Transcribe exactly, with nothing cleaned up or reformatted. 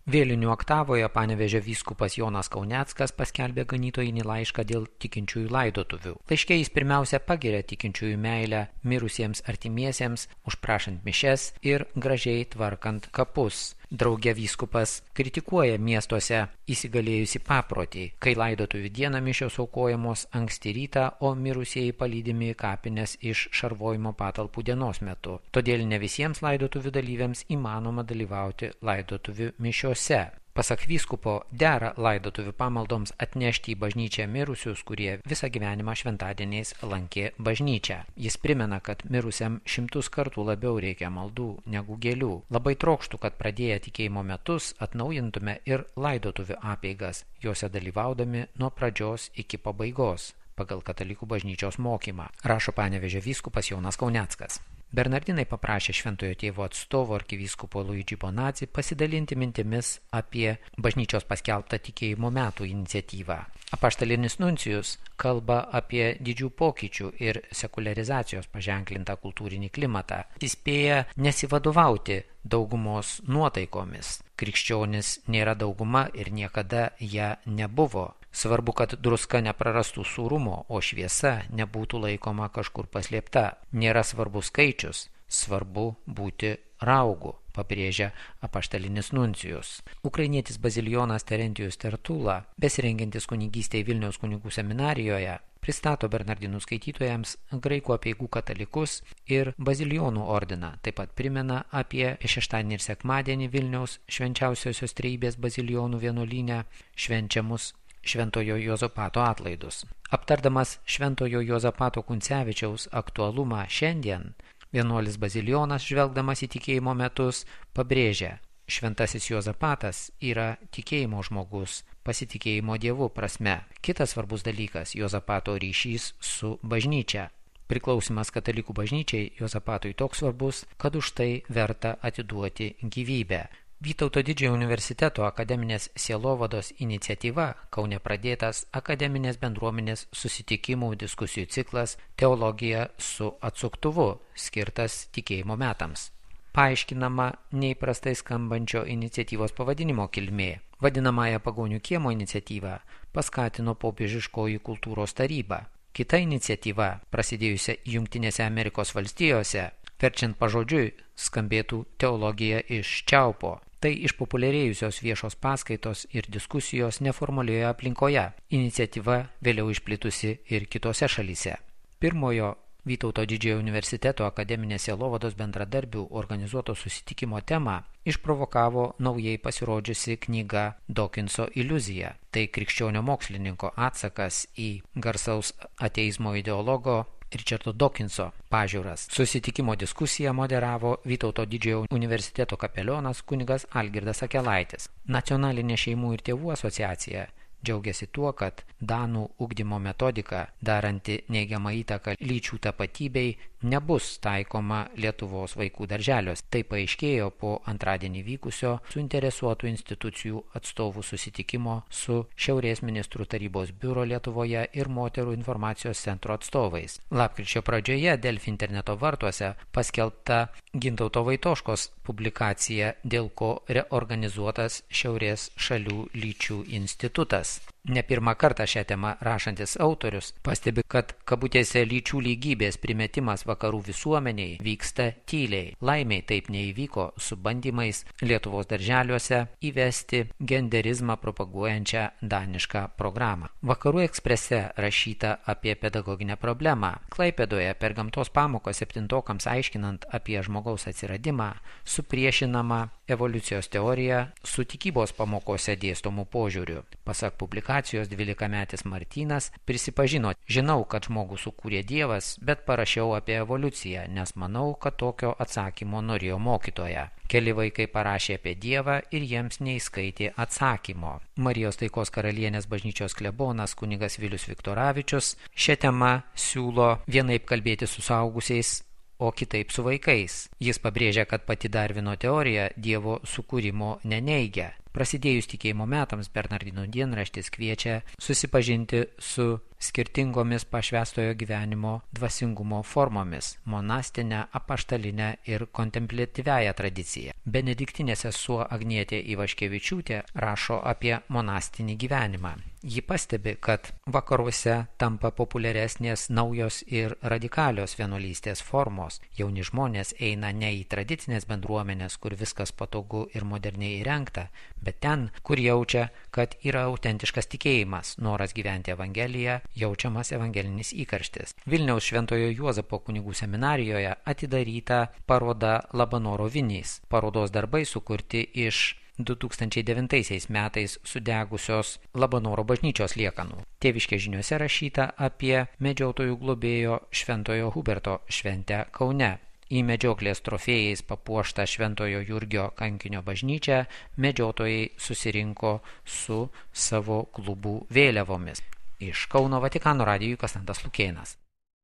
Vėlinių oktavoje Panevėžio vyskupas Jonas Kauneckas paskelbė ganytojinį laišką dėl tikinčiųjų laidotuvių. Laiške jis pirmiausia pagiria tikinčiųjų meilę mirusiems artimiesiems, užprašant mišes ir gražiai tvarkant kapus. Drauge vyskupas kritikuoja miestuose įsigalėjusi paprotį, kai laidotuvių dieną mišios aukojamos anksti rytą, o mirusieji palydimi į kapines iš šarvojimo patalpų dienos metu. Todėl ne visiems laidotuvių dalyviams įmanoma dalyvauti laidotuvių mišiose. Pasak vyskupo, dera laidotuvių pamaldoms atnešti į bažnyčią mirusius, kurie visą gyvenimą šventadieniais lankė bažnyčią. Jis primena, kad mirusiam šimtus kartų labiau reikia maldų negu gėlių. Labai trokštų, kad pradėję tikėjimo metus atnaujintume ir laidotuvių apeigas, juose dalyvaudami nuo pradžios iki pabaigos, pagal katalikų bažnyčios mokymą, rašo Panevėžio vyskupas Jonas Kauneckas. Bernardinai paprašė šventojo tėvo atstovo arkivyskupo Luigi Bonazzi pasidalinti mintimis apie bažnyčios paskelbtą tikėjimo metų iniciatyvą. Apaštalinis nuncijus kalba apie didžių pokyčių ir sekuliarizacijos paženklintą kultūrinį klimatą. Įspėja nesivadovauti daugumos nuotaikomis. Krikščionis nėra dauguma ir niekada ją nebuvo. Svarbu, kad druska neprarastų sūrumo, o šviesa nebūtų laikoma kažkur paslėpta. Nėra svarbu skaičius, svarbu būti raugu, pabrėžia apaštalinis nuncijus. Ukrainietis bazilijonas Terentijus Tertula, besirengiantis kunigystėje Vilniaus kunigų seminarijoje, pristato bernardinų skaitytojams graikų apeigų katalikus ir bazilijonų ordiną. Taip pat primena apie šeštadienį ir sekmadienį Vilniaus švenčiausiosios trejybės bazilijonų vienuolyne švenčiamus Šventojo Juozapato atlaidus. Aptardamas Šventojo Juozapato Kuncevičiaus aktualumą šiandien, vienuolis bazilijonas, žvelgdamas į tikėjimo metus, pabrėžia: Šventasis Juozapatas yra tikėjimo žmogus, pasitikėjimo Dievu prasme. Kitas svarbus dalykas – Juozapato ryšys su bažnyčia. Priklausimas katalikų bažnyčiai Juozapatui toks svarbus, kad už tai verta atiduoti gyvybę. Vytauto Didžiojo universiteto akademinės sielovados iniciatyva Kaune pradėtas akademinės bendruomenės susitikimų diskusijų ciklas Teologija su atsuktuvu, skirtas tikėjimo metams. Paaiškinama neįprastai skambančio iniciatyvos pavadinimo kilmė. Vadinamąją Pagonių kiemo iniciatyvą paskatino popiežiškoji kultūros taryba. Kita iniciatyva, prasidėjusia Jungtinėse Amerikos valstijose, verčiant pažodžiui, skambėtų Teologija iš čiaupo. Tai išpopuliarėjusios viešos paskaitos ir diskusijos neformalioje aplinkoje. Iniciatyva vėliau išplitusi ir kitose šalyse. Pirmojo Vytauto Didžiojo universiteto akademinės sielovados bendradarbių organizuoto susitikimo temą išprovokavo naujai pasirodžiusi knyga Dawkinso iliuzija. Tai krikščionio mokslininko atsakas į garsaus ateizmo ideologo Richardo Dawkinso pažiūras. Susitikimo diskusiją moderavo Vytauto Didžiojo universiteto kapelionas kunigas Algirdas Akelaitis. Nacionalinė šeimų ir tėvų asociacija džiaugiasi tuo, kad Danų ugdymo metodika, daranti neigiamą įtaką lyčių tapatybei, nebus taikoma Lietuvos vaikų darželiuose. Tai paaiškėjo po antradienį vykusio suinteresuotų institucijų atstovų susitikimo su Šiaurės ministrų tarybos biuro Lietuvoje ir moterų informacijos centro atstovais. Lapkričio pradžioje Delfi interneto vartuose paskelbta Gintauto Vaitoškos publikacija, dėl ko reorganizuotas Šiaurės šalių lyčių institutas. Ne pirmą kartą šią temą rašantis autorius pastebi, kad kabutėse lyčių lygybės primetimas vakarų visuomeniai vyksta tyliai. Laimiai taip neįvyko su bandymais Lietuvos darželiuose įvesti genderizmą propaguojančią danišką programą. Vakarų eksprese rašyta apie pedagoginę problemą. Klaipėdoje per gamtos pamoką septintokams aiškinant apie žmogaus atsiradimą supriešinama evoliucijos teorija su tikybos pamokose dėstomų požiūrių. Pasak publikacijos, dvylikametis Martynas prisipažino: žinau, kad žmogų sukūrė Dievas, bet parašiau apie evoliuciją, nes manau, kad tokio atsakymo norėjo mokytoja. Keli vaikai parašė apie Dievą ir jiems neįskaitė atsakymo. Marijos Taikos karalienės bažnyčios klebonas kunigas Vilius Viktoravičius šią temą siūlo vienaip kalbėti su suaugusiais, o kitaip su vaikais. Jis pabrėžia, kad pati Darvino teorija Dievo sukūrimo neneigia. Prasidėjus tikėjimo metams, Bernardinų dienraštis kviečia susipažinti su skirtingomis pašvęstojo gyvenimo dvasingumo formomis – monastinę, apaštalinę ir kontempliatyviąją tradiciją. Benediktinė sesuo Agnietė Ivaškevičiūtė rašo apie monastinį gyvenimą. Ji pastebi, kad vakaruose tampa populiaresnės naujos ir radikalios vienuolystės formos. Jauni žmonės eina ne į tradicinės bendruomenės, kur viskas patogu ir moderniai įrengta, bet ten, kur jaučia, kad yra autentiškas tikėjimas, noras gyventi Evangeliją, jaučiamas evangelinis įkarštis. Vilniaus Šventojo Juozapo kunigų seminarijoje atidaryta paroda Labanoro vinys. Parodos darbai sukurti iš du tūkstančiai devintaisiais metais sudegusios Labanoro bažnyčios liekanų. Tėviškės žiniose rašyta apie medžiotojų globėjo Šventojo Huberto šventę Kaune. Į medžioklės trofėjais papuoštą Šventojo Jurgio kankinio bažnyčią medžiotojai susirinko su savo klubų vėliavomis. Iš Kauno Vatikano radijui Konstantas Lukėnas.